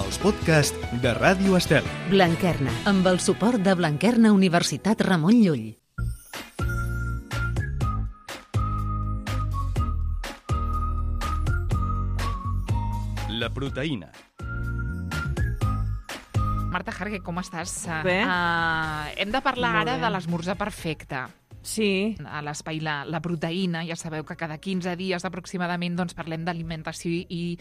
els podcasts de Ràdio Estel. Blanquerna, amb el suport de Blanquerna Universitat Ramon Llull. La proteïna. Marta Jarque, com estàs? Bé. Hem de parlar Molt ara bé. de l'esmorzar perfecte. Sí. A l'espai la proteïna, ja sabeu que cada 15 dies aproximadament doncs, parlem d'alimentació i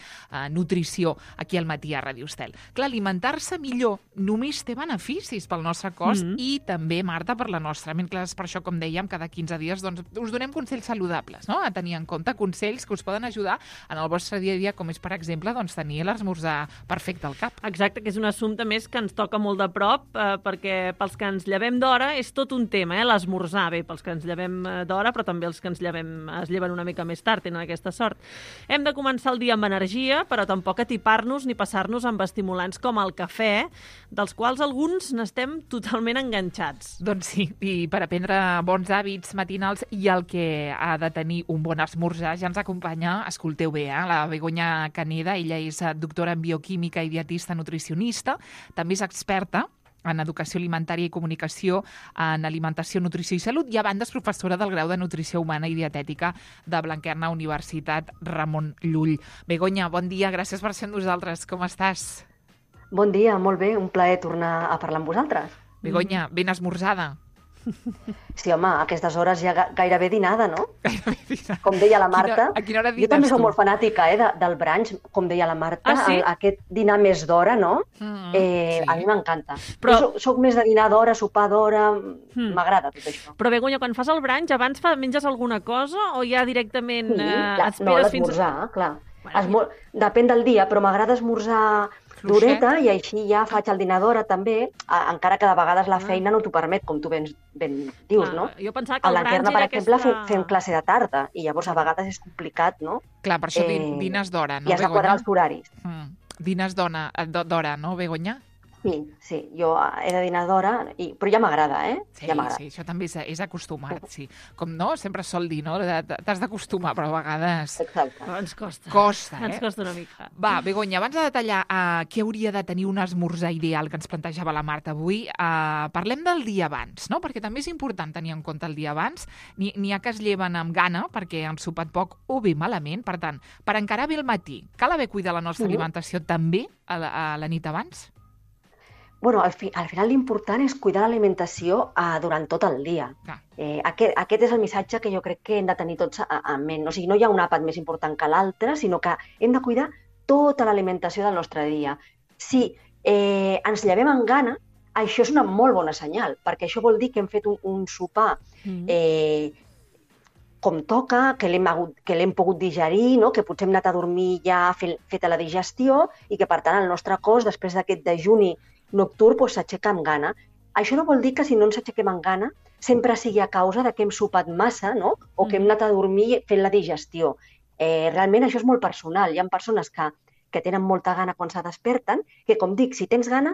nutrició aquí al matí a Ràdio Estel. Clar, alimentar-se millor només té beneficis pel nostre cos i també, Marta, per la nostra ment. Clar, és per això, com dèiem, cada 15 dies doncs, us donem consells saludables, no? A tenir en compte consells que us poden ajudar en el vostre dia a dia, com és, per exemple, doncs, tenir l'esmorzar perfecte al cap. Exacte, que és un assumpte més que ens toca molt de prop, perquè pels que ens llevem d'hora és tot un tema, l'esmorzar. Bé, pels que ens llevem d'hora, però també els que es lleven una mica més tard, tenen aquesta sort. Hem de començar el dia amb energia, però tampoc atipar-nos ni passar-nos amb estimulants com el cafè, dels quals alguns n'estem totalment enganxats. Doncs sí, i per aprendre bons hàbits matinals i el que ha de tenir un bon esmorzar, ja ens acompanya, escolteu bé, la Begoña Caneda. Ella és doctora en bioquímica i dietista nutricionista, també és experta en educació alimentària i comunicació, en alimentació, nutrició i salut, i a banda és professora del grau de nutrició humana i dietètica de Blanquerna Universitat Ramon Llull. Begoña, bon dia, gràcies per ser amb nosaltres. Com estàs? Bon dia, molt bé, un plaer tornar a parlar amb vosaltres. Begoña, ben esmorzada. Sí, home, a aquestes hores ja gairebé dinada, no? Gairebé dinada. Com deia la Marta, A quina hora jo dines també soc tu? molt fanàtica del brunch, com deia la Marta, Ah, sí? aquest dinar més d'hora, no? Sí. A mi m'encanta. Però- Jo soc més de dinar d'hora, sopar d'hora, m'agrada tot això. Però, Begoña, quan fas el brunch, abans menges alguna cosa o ja directament Sí, esperes no, fins... l'esmorzar, clar. Bueno. Depèn del dia, però m'agrada esmorzar Fluixet. d'horeta i així ja faig el dinar d'hora també, encara que de vegades la feina no t'ho permet, com tu ben dius, no? Jo pensava que A el l'Enquerna, brunch per era exemple, aquesta... fem classe de tarda i llavors a vegades és complicat, no? Clar, per això Eh, dines d'hora, no, I has de quadrar els horaris. Dines d'hora, no, Begoña? Sí, jo he de dinar d'hora, però ja m'agrada, Sí, ja m'agrada. sí, això també és acostumar-te, sí. Com no, sempre es sol dir, no? T'has d'acostumar, però a vegades Exacte. Però ens costa. costa, Ens costa una mica. Va, Begoña, abans de detallar què hauria de tenir un esmorzar ideal que ens plantejava la Marta avui, parlem del dia abans, no? Perquè també és important tenir en compte el dia abans. N'hi ha que es lleven amb gana perquè han sopat poc o bé malament. Per tant, per encarar bé el matí, cal haver cuidat la nostra alimentació també a la nit abans? Bueno, al final l'important és cuidar l'alimentació durant tot el dia. Clar. Aquest és el missatge que jo crec que hem de tenir tots en ment. O sigui, no hi ha un àpat més important que l'altre, sinó que hem de cuidar tota l'alimentació del nostre dia. Si ens llevem amb gana, això és una molt bona senyal, perquè això vol dir que hem fet un sopar com toca, que l'hem pogut digerir, no? Que potser hem anat a dormir ja feta la digestió i que, per tant, el nostre cos, després d'aquest dejuni nocturn, s'aixeca amb gana. Això no vol dir que si no ens aixequem amb gana sempre sigui a causa de que hem sopat massa, no? O que hem anat a dormir fent la digestió. Realment això és molt personal. Hi ha persones que tenen molta gana quan se desperten, que, com dic, si tens gana,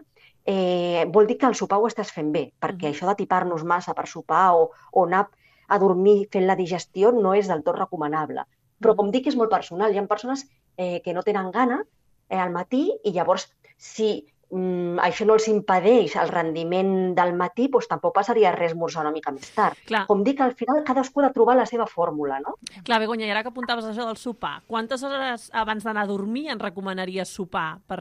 vol dir que el sopar ho estàs fent bé, perquè això d'atipar-nos massa per sopar o anar a dormir fent la digestió no és del tot recomanable. Però, com dic, és molt personal. Hi ha persones que no tenen gana al matí i llavors, si això no els impedeix el rendiment del matí, doncs tampoc passaria res esmorzar una mica més tard. Clar. Com dic, al final cadascú ha de trobar la seva fórmula, no? Clar, Begoña, i ara que apuntaves això del sopar, quantes hores abans d'anar a dormir ens recomanaries sopar per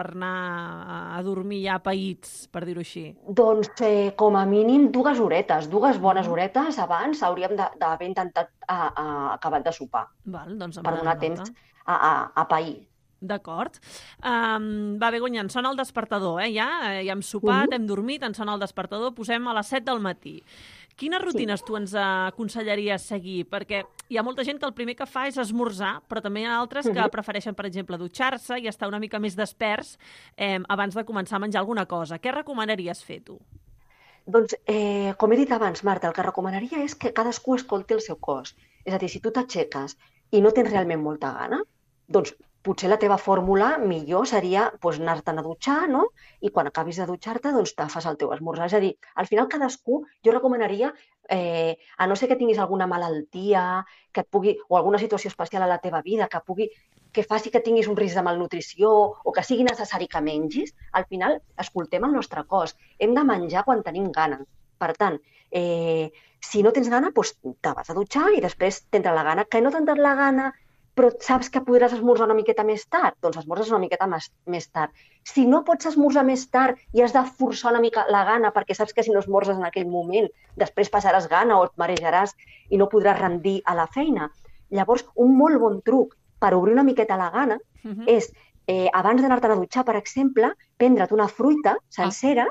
anar a dormir ja païts, per dir-ho així? Doncs com a mínim 2 horetes, 2 bones horetes abans hauríem d'haver intentat acabar de sopar, Val, doncs per donar temps a pair. D'acord. Va, Begoña, ens sona el despertador, ja hem sopat, hem dormit, ens sona el despertador, posem a les 7 del matí. Quines rutines tu ens aconsellaries seguir? Perquè hi ha molta gent que el primer que fa és esmorzar, però també hi ha altres que prefereixen, per exemple, dutxar-se i estar una mica més desperts abans de començar a menjar alguna cosa. Què recomanaries fer, tu? Doncs, com he dit abans, Marta, el que recomanaria és que cadascú escolti el seu cos. És a dir, si tu t'aixeques i no tens realment molta gana, doncs potser la teva fórmula millor seria anar-te'n a dutxar, no? I quan acabis de dutxar-te, doncs te fas el teu esmorzar. És a dir, al final cadascú, jo recomanaria, a no ser que tinguis alguna malaltia que et pugui, o alguna situació especial a la teva vida que faci que tinguis un risc de malnutrició o que sigui necessari que mengis, al final escoltem el nostre cos. Hem de menjar quan tenim gana. Per tant, si no tens gana, doncs te vas a dutxar i després t'entra la gana. Que no t'entra la gana, però saps que podràs esmorzar una miqueta més tard? Doncs esmorzes una miqueta més tard. Si no pots esmorzar més tard i has de forçar una mica la gana perquè saps que si no esmorzes en aquell moment després passaràs gana o et marejaràs i no podràs rendir a la feina. Llavors, un molt bon truc per obrir una miqueta la gana és, abans d'anar-te'n a dutxar, per exemple, prendre't una fruita sencera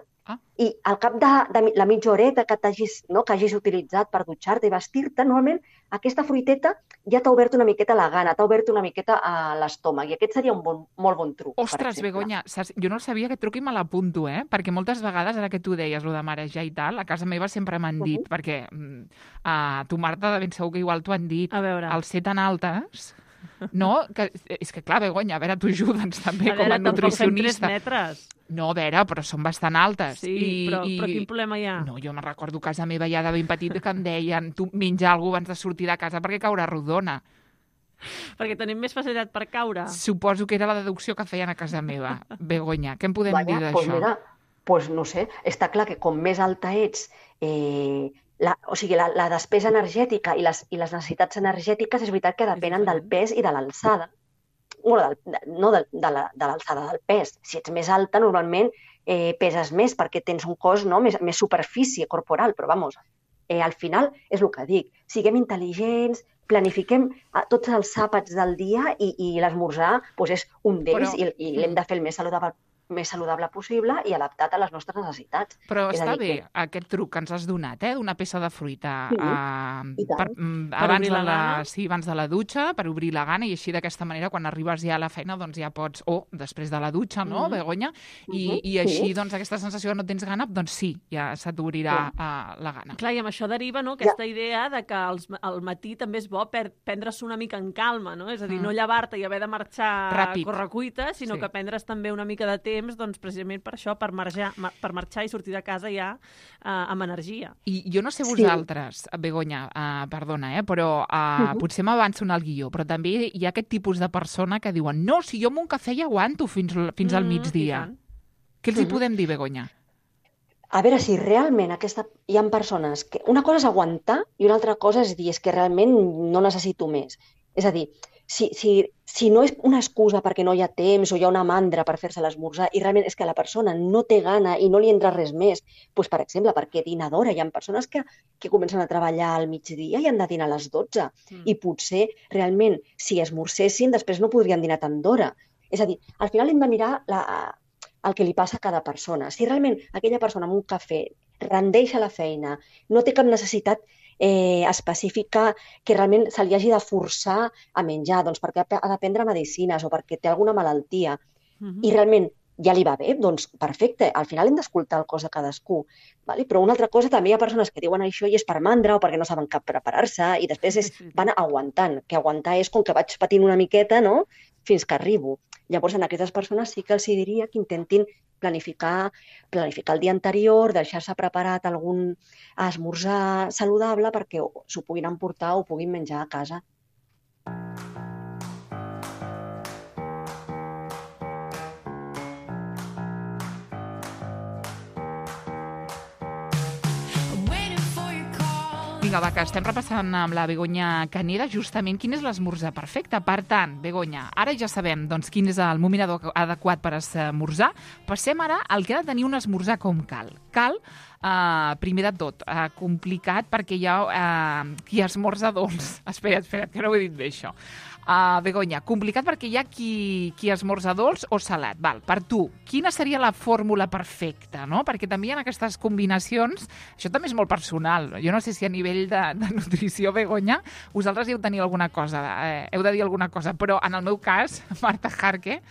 i al cap de la mitja horeta que hagis utilitzat per dutxar-te i vestir-te, normalment aquesta fruiteta ja t'ha obert una miqueta la gana, t'ha obert una miqueta a l'estómac, i aquest seria un molt bon truc. Ostres, Begoña, jo no sabia aquest truc i me l'apunto, perquè moltes vegades, ara que tu deies, lo de marejar i tal, a casa meva sempre m'han dit, perquè a tu, Marta, de ben segur que igual t'ho han dit, al ser tan altes... No, és que clar, Begoña, a veure, tu ajuda'ns també com a nutricionista. 3 metres. No, a veure, però són bastant altes. Sí, però quin problema hi ha? No, jo me'n recordo a casa meva ja de ben petit que em deien tu menja alguna cosa abans de sortir de casa perquè caurà rodona. Perquè tenim més facilitat per caure. Suposo que era la deducció que feien a casa meva. Begoña, què em podem dir d'això? Doncs mira, no sé, està clar que com més alta ets... la despesa energètica i les necessitats energètiques és veritat que depenen del pes i de l'alçada. No de l'alçada, del pes. Si ets més alta, normalment peses més perquè tens un cos més superfície corporal, però vamos, al final és el que dic. Siguem intel·ligents, planifiquem tots els àpats del dia i l'esmorzar és un d'ells i l'hem de fer el més saludable possible i adaptat a les nostres necessitats. Però està bé aquest truc que ens has donat, d'una peça de fruita abans de la dutxa, per obrir la gana, i així d'aquesta manera, quan arribes ja a la feina, doncs ja pots, o després de la dutxa, no, Begoña? I així, doncs, aquesta sensació que no tens gana, doncs sí, ja se t'obrirà la gana. Clar, i amb això deriva aquesta idea de que al matí també és bo prendre's una mica en calma, no? És a dir, no llevar-te i haver de marxar a correcuita, sinó que prendre's també una mica de temps, doncs precisament per això, per marxar i sortir de casa ja amb energia. I jo no sé vosaltres, Begoña, perdona, però potser m'avanço en el guió, però també hi ha aquest tipus de persona que diuen no, si jo amb un cafè ja aguanto fins al migdia. Què els hi podem dir, Begoña? A veure, si realment hi ha persones que... Una cosa és aguantar i una altra cosa és dir és que realment no necessito més. És a dir, si no és una excusa perquè no hi ha temps o hi ha una mandra per fer-se l'esmorzar i realment és que la persona no té gana i no li entra res més, doncs, per exemple, perquè dina d'hora. Hi ha persones que comencen a treballar al migdia i han de dinar a les 12 i potser realment si esmorzessin després no podrien dinar tant d'hora. És a dir, al final hem de mirar el que li passa a cada persona. Si realment aquella persona amb un cafè rendeix a la feina, no té cap necessitat específica que realment se li hagi de forçar a menjar, doncs perquè ha de prendre medicines o perquè té alguna malaltia i realment ja li va bé, doncs perfecte, al final hem d'escoltar el cos de cadascú. Però una altra cosa, també hi ha persones que diuen això i és per mandra o perquè no saben cap preparar-se i després van aguantant, que aguantar és com que vaig patint una miqueta, no?, fins que arribo. Llavors, en aquestes persones sí que els diria que intentin planificar el dia anterior, deixar-se preparat algun esmorzar saludable perquè s'ho puguin emportar o puguin menjar a casa. Vinga, va, que estem repassant amb la Begoña Caneda justament quin és l'esmorzar perfecte. Per tant, Begoña, ara ja sabem doncs, quin és el moment adequat per esmorzar. Passem ara al que ha de tenir un esmorzar com cal. Cal, primer de tot, complicat perquè hi ha qui esmorza dolç. Espera't, que no ho he dit bé, això. Begoña, complicat perquè hi ha qui esmorza dolç o salat. Val, per tu, quina seria la fórmula perfecta, no? Perquè també hi ha aquestes combinacions, això també és molt personal. Jo no sé si a nivell de nutrició, Begoña, vosaltres heu de tenir alguna cosa, heu de dir alguna cosa, però en el meu cas, Marta Jarque,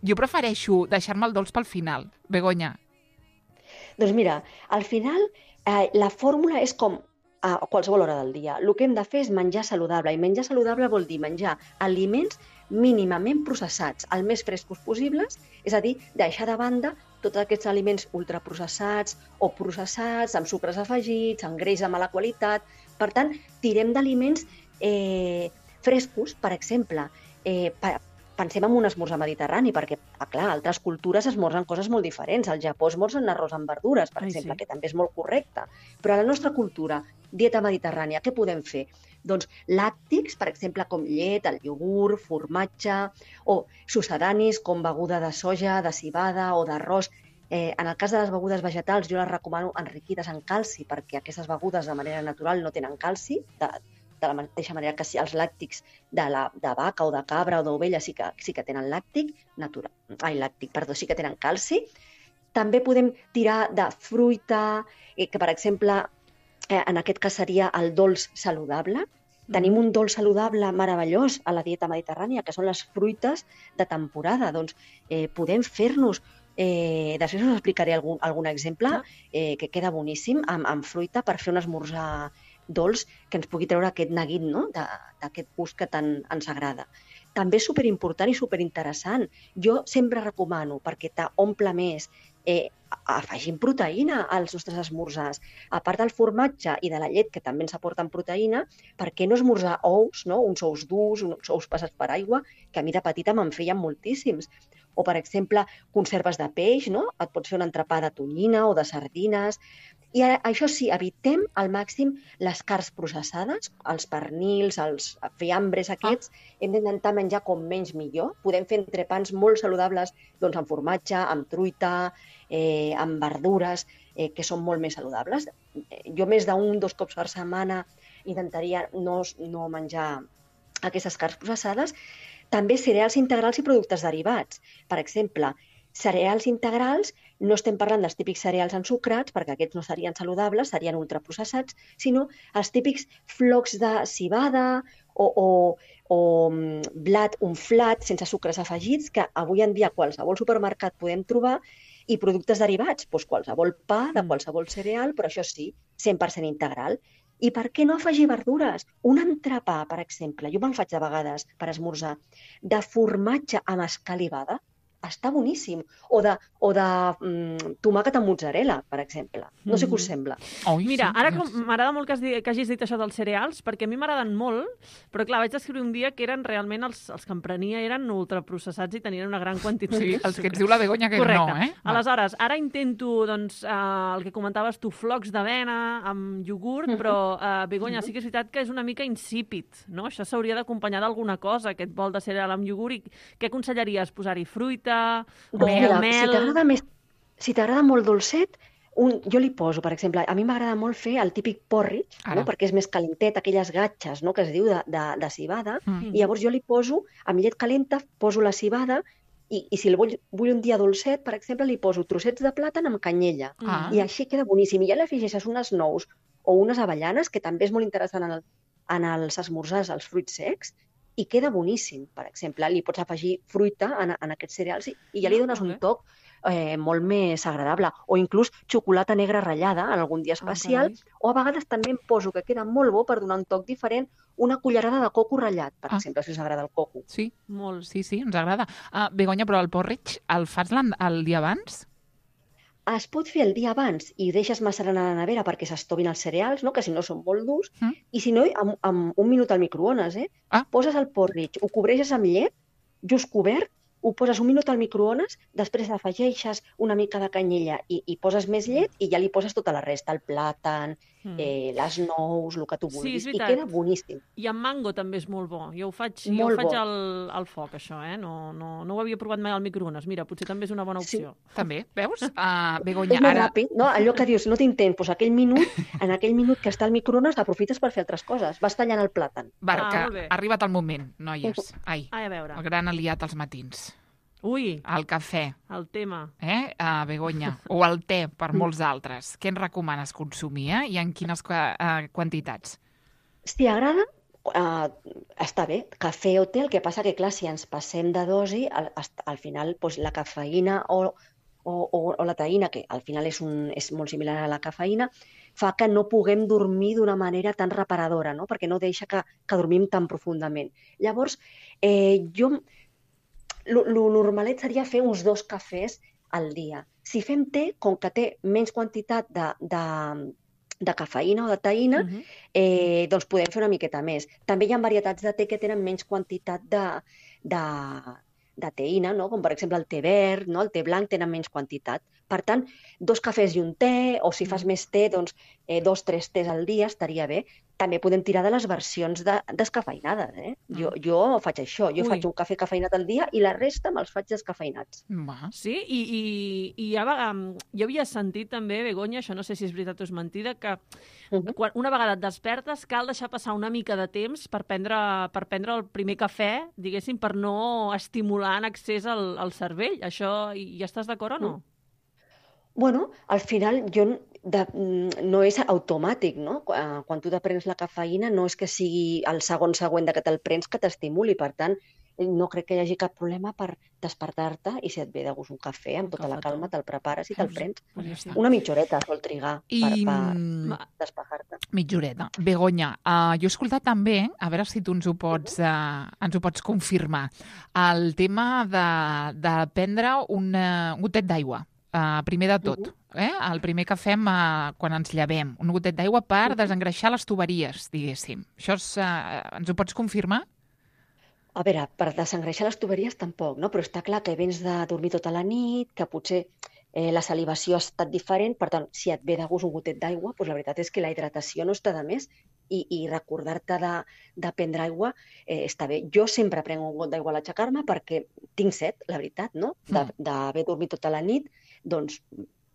jo prefereixo deixar-me el dolç pel final. Begoña. Doncs mira, al final la fórmula és com a qualsevol hora del dia. El que hem de fer és menjar saludable, i menjar saludable vol dir menjar aliments mínimament processats, el més frescos possibles, és a dir, deixar de banda tots aquests aliments ultraprocessats o processats, amb sucres afegits, amb greix de mala qualitat. Per tant, tirem d'aliments frescos, per exemple. Pensem en un esmorzar mediterrani, perquè, clar, altres cultures esmorzen coses molt diferents. Al Japó esmorzen arròs amb verdures, per exemple, que també és molt correcte. Però a la nostra cultura, dieta mediterrània, què podem fer? Doncs làctics, per exemple, com llet, el iogurt, formatge, o succedanis com beguda de soja, de civada o d'arròs. En el cas de les begudes vegetals, jo les recomano enriquides en calci, perquè aquestes begudes de manera natural no tenen calci, de la mateixa manera que els làctics de vaca o de cabra o d'ovella sí que tenen sí que tenen calci. També podem tirar de fruita, que per exemple, en aquest cas seria el dolç saludable. Tenim un dolç saludable meravellós a la dieta mediterrània, que són les fruites de temporada. Doncs podem fer-nos, després us explicaré algun exemple que queda boníssim, amb fruita per fer un esmorzar dolç que ens pugui treure aquest neguit, no? D'aquest gust que tant ens agrada. També és superimportant i superinteressant. Jo sempre recomano, perquè t'omple més, afegim proteïna als nostres esmorzars. A part del formatge i de la llet, que també ens aporten proteïna, per què no esmorzar ous, no? Uns ous durs, uns ous passats per aigua, que a mi de petita me'n feien moltíssims. O, per exemple, conserves de peix, no? Et pots fer un entrepà de tonyina o de sardines. I això sí, evitem al màxim les carns processades, els pernils, els fiambres aquests. Hem d'intentar menjar com menys millor. Podem fer entrepans molt saludables doncs, amb formatge, amb truita, amb verdures, que són molt més saludables. Jo més d'un, 2 cops per setmana intentaria no menjar aquestes carns processades. També cereals integrals i productes derivats. Per exemple, cereals integrals, no estem parlant dels típics cereals ensucrats, perquè aquests no serien saludables, serien ultraprocessats, sinó els típics flocs de civada o blat unflat sense sucres afegits, que avui en dia a qualsevol supermercat podem trobar, i productes derivats, doncs qualsevol pa de qualsevol cereal, però això sí, 100% integral. I per què no afegir verdures? Un entrepà, per exemple, jo me'n faig de vegades per esmorzar, de formatge amb escalivada, està boníssim. O de tomàquet amb mozzarella, per exemple. No sé què us sembla. Mira, ara m'agrada molt que hagis dit això dels cereals, perquè a mi m'agraden molt, però clar, vaig descriure un dia que eren realment els que em prenia eren ultraprocessats i tenien una gran quantitat. Sí, els que ens diu la Begoña que correcte. No, Aleshores, ara intento, doncs, el que comentaves tu, flocs d'avena amb iogurt, però, Begoña, sí que és veritat que és una mica insípid, no? Això s'hauria d'acompanyar d'alguna cosa, aquest bol de cereal amb iogurt, i què aconsellaries? Posar-hi fruita, o mel? Si t'agrada molt dolcet, jo li poso, per exemple, a mi m'agrada molt fer el típic porridge, no? Perquè és més calentet, aquelles gatxes, no? Que es diu de civada, i llavors jo li poso, amb llet calenta, poso la civada, i si el vull un dia dolcet, per exemple, li poso trossets de plàtan amb canyella, i així queda boníssim. I ja li afegeixes unes nous o unes avellanes, que també és molt interessant en els esmorzars, els fruits secs, i queda boníssim, per exemple. Li pots afegir fruita en aquests cereals i ja li dones un toc molt més agradable. O inclús xocolata negra ratllada en algun dia especial, o a vegades també em poso, que queda molt bo per donar un toc diferent, una cullerada de coco ratllat, per exemple, si us agrada el coco. Sí, molt. Sí, ens agrada. Begoña, però el porridge el fas el dia abans? Es pot fer el dia abans i deixes macerant a la nevera perquè s'estovin els cereals, no? Que si no són molt durs, i si no, amb un minut al microones. Poses el porridge, ho cobreixes amb llet, just cobert, ho poses un minut al microones, després afegeixes una mica de canyella i poses més llet i ja li poses tota la resta, el plàtan, les nous, el que tu vulguis, i queda boníssim. I amb mango també és molt bo. Jo ho faig al foc, això, No ho havia provat mai al microones. Mira, potser també és una bona opció. Sí. També, veus? Begoña, és molt ràpid, no? Allò que dius, no tinc temps, doncs en aquell minut que està al microones aprofites per fer altres coses. Vas tallant el plàtan. Ha arribat el moment, noies. Ai, a veure. El gran aliat als matins. Ui! El cafè. El tema. Begoña. O el te, per molts altres. Què ens recomanes consumir, i en quines quantitats? Si agrada, està bé. Cafè o te, el que passa que, clar, si ens passem de dosi, al final la cafeïna o o la teïna, que al final és molt similar a la cafeïna, fa que no puguem dormir d'una manera tan reparadora, no? Perquè no deixa que dormim tan profundament. Llavors, lo normalet seria fer uns 2 cafès al dia. Si fem té, com que té menys quantitat de cafeïna o de teïna, doncs podem fer una miqueta més. També hi ha varietats de té que tenen menys quantitat de teïna, no? Com per exemple el té verd, no? El té blanc tenen menys quantitat. Per tant, 2 cafès i un té, o si fas més té, doncs 2-3 tés al dia estaria bé. També podem tirar de les versions descafeïnades. Jo faig això, jo faig un cafè cafeïnat al dia i la resta me'ls faig descafeïnats. Sí, i jo havia sentit també, Begoña, això no sé si és veritat o és mentida, que una vegada et despertes cal deixar passar una mica de temps per prendre el primer cafè, diguéssim, per no estimular en excés el cervell. Això hi estàs d'acord o no? Bueno, al final no és automàtic, no? Quan tu te prens la cafeïna no és que sigui el segon següent que te'l prens que t'estimuli. Per tant, no crec que hi hagi cap problema per despertar-te i si et ve de gust un cafè, amb tota la calma te'l prepares i te'l prens. Una mitja horeta sol trigar per despejar-te. Mitja horeta. Begoña, jo he escoltat també, a veure si tu ens ho pots confirmar, el tema de prendre un gotet d'aigua. Primer de tot, el primer que fem quan ens llevem, un gotet d'aigua per desengreixar les tuberies, diguéssim. Això ens ho pots confirmar? A veure, per desengreixar les tuberies tampoc, no? Però està clar que vens de dormir tota la nit, que potser la salivació ha estat diferent, per tant, si et ve de gust un gotet d'aigua, doncs la veritat és que la hidratació no està de més i recordar-te de prendre aigua està bé. Jo sempre prenc un got d'aigua a l'aixecar-me perquè tinc set, la veritat, no? D'haver dormit tota la nit, doncs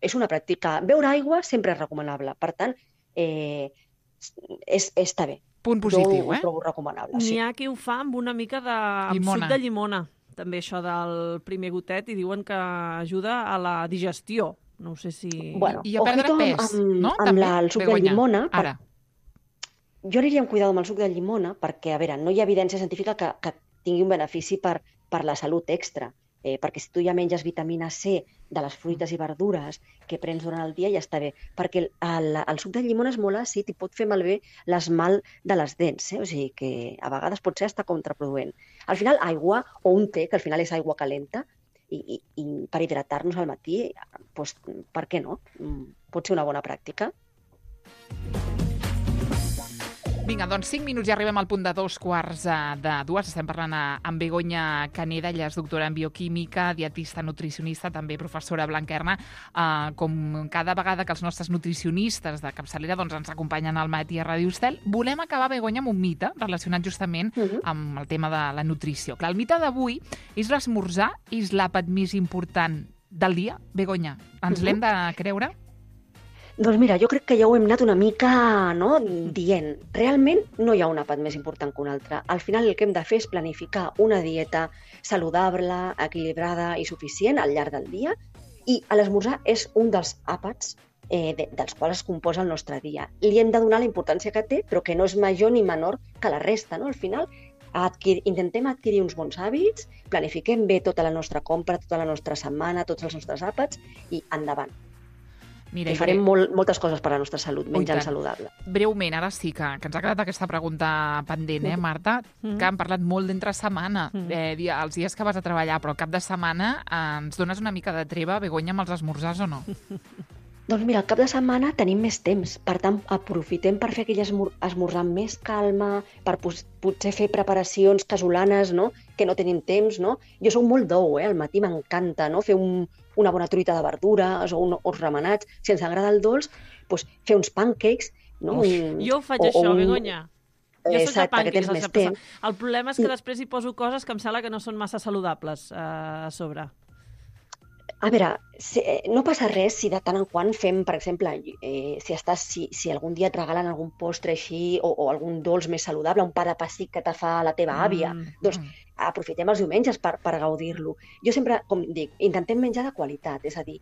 és una pràctica. Beure aigua sempre és recomanable, per tant, està bé. Punt positiu, Jo ho trobo recomanable, sí. N'hi ha qui ho fa amb una mica de suc de llimona, també això del primer gotet, i diuen que ajuda a la digestió. No sé si... Bueno, i a perdre pes, no? Amb el suc de llimona... Jo aniria amb cuidado amb el suc de llimona perquè, a veure, no hi ha evidència científica que tingui un benefici per la salut extra. Perquè si tu ja menges vitamina C de les fruites i verdures que prens durant el dia ja està bé. Perquè el suc de llimona és molt àcid i pot fer malbé l'esmalt de les dents. O sigui que a vegades pot ser hasta contraproduent. Al final, aigua o un té, que al final és aigua calenta, i per hidratar-nos al matí, doncs, per què no? Pot ser una bona pràctica. Vinga, doncs 5 minuts i arribem al punt de 2:15. Estem parlant amb Begoña Caneda, ella és doctora en bioquímica, dietista, nutricionista, també professora Blanquerna. Com cada vegada que els nostres nutricionistes de capçalera ens acompanyen al matí a Ràdio Estel, volem acabar, Begoña, amb un mite relacionat justament amb el tema de la nutrició. Clar, el mite d'avui és l'esmorzar és l'àpat més important del dia. Begoña, ens l'hem de creure? Doncs mira, jo crec que ja ho hem anat una mica dient. Realment no hi ha un àpat més important que un altre. Al final el que hem de fer és planificar una dieta saludable, equilibrada i suficient al llarg del dia, i l'esmorzar és un dels àpats dels quals es composa el nostre dia. Li hem de donar la importància que té, però que no és major ni menor que la resta. Al final intentem adquirir uns bons hàbits, planifiquem bé tota la nostra compra, tota la nostra setmana, tots els nostres àpats i endavant. Mira, farem moltes coses per a la nostra salut, menjant saludable. Breument, ara sí que ens ha quedat aquesta pregunta pendent, Marta, que hem parlat molt d'entre setmana, els dies que vas a treballar, però al cap de setmana ens dones una mica de treva, Begoña, amb els esmorzars o no? Doncs mira, al cap de setmana tenim més temps, per tant, aprofitem per fer aquell esmorzar amb més calma, per potser fer preparacions casolanes, que no tenim temps, Jo soc molt d'ou, al matí m'encanta, fer una bona truita de verdures o uns remenats. Si ens agrada el dolç, doncs fer uns pancakes. Jo ho faig això, Begoña. Jo soc de pancakes. El problema és que després hi poso coses que em sembla que no són massa saludables a sobre. A veure, no passa res si de tant en quant fem, per exemple, si algun dia et regalen algun postre així o algun dolç més saludable, un pa de pessic que te fa la teva àvia, doncs aprofitem els diumenges per gaudir-lo. Jo sempre, com dic, intentem menjar de qualitat, és a dir,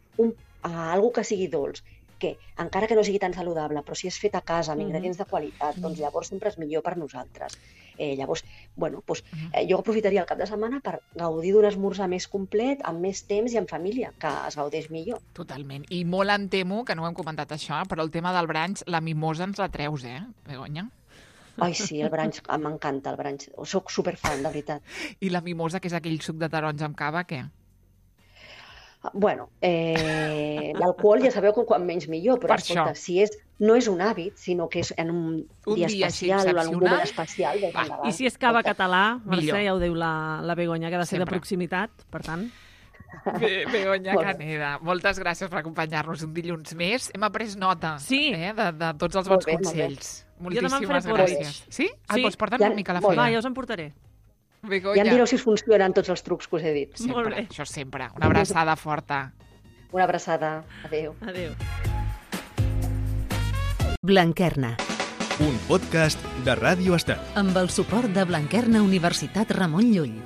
algo que sigui dolç, que encara que no sigui tan saludable, però si és fet a casa, amb ingredients de qualitat, doncs llavors sempre és millor per nosaltres. Llavors, bueno, doncs, jo aprofitaria el cap de setmana per gaudir d'un esmorzar més complet, amb més temps i en família, que es gaudeix millor. Totalment. I molt em temo, que no ho hem comentat això, però el tema del brunch, la mimosa ens la treus, Begoña? Ai, sí, el brunch, m'encanta el brunch. Soc superfan, de veritat. I la mimosa, que és aquell suc de taronja amb cava, què? Bueno, l'alcohol ja sabeu que quan menys millor, però Per escolta, això. no és un hàbit, sinó que és en un dia especial o en un moment especial. I si és cava català, Mercè, Millor. ja ho diu la Begoña, que ha de ser de Sempre. proximitat, per tant. Begoña Molt bé. Caneda, moltes gràcies per acompanyar-nos un dilluns més. Hem après nota Sí. de tots els Molt bons bé, molt bé. consells. Jo demà em Moltíssimes faré gràcies. Sí? Sí. Doncs porta'm Ja- una mica a la molt feina. Va, ja us en portaré. Begoña. Ja em direu si us funcionen tots els trucs que us he dit. Molt Sempre, bé. això sempre. Una abraçada forta. Una abraçada. Adéu. Adéu. Blanquerna, Un podcast de Ràdio Estel. amb el suport de Blanquerna Universitat Ramon Llull.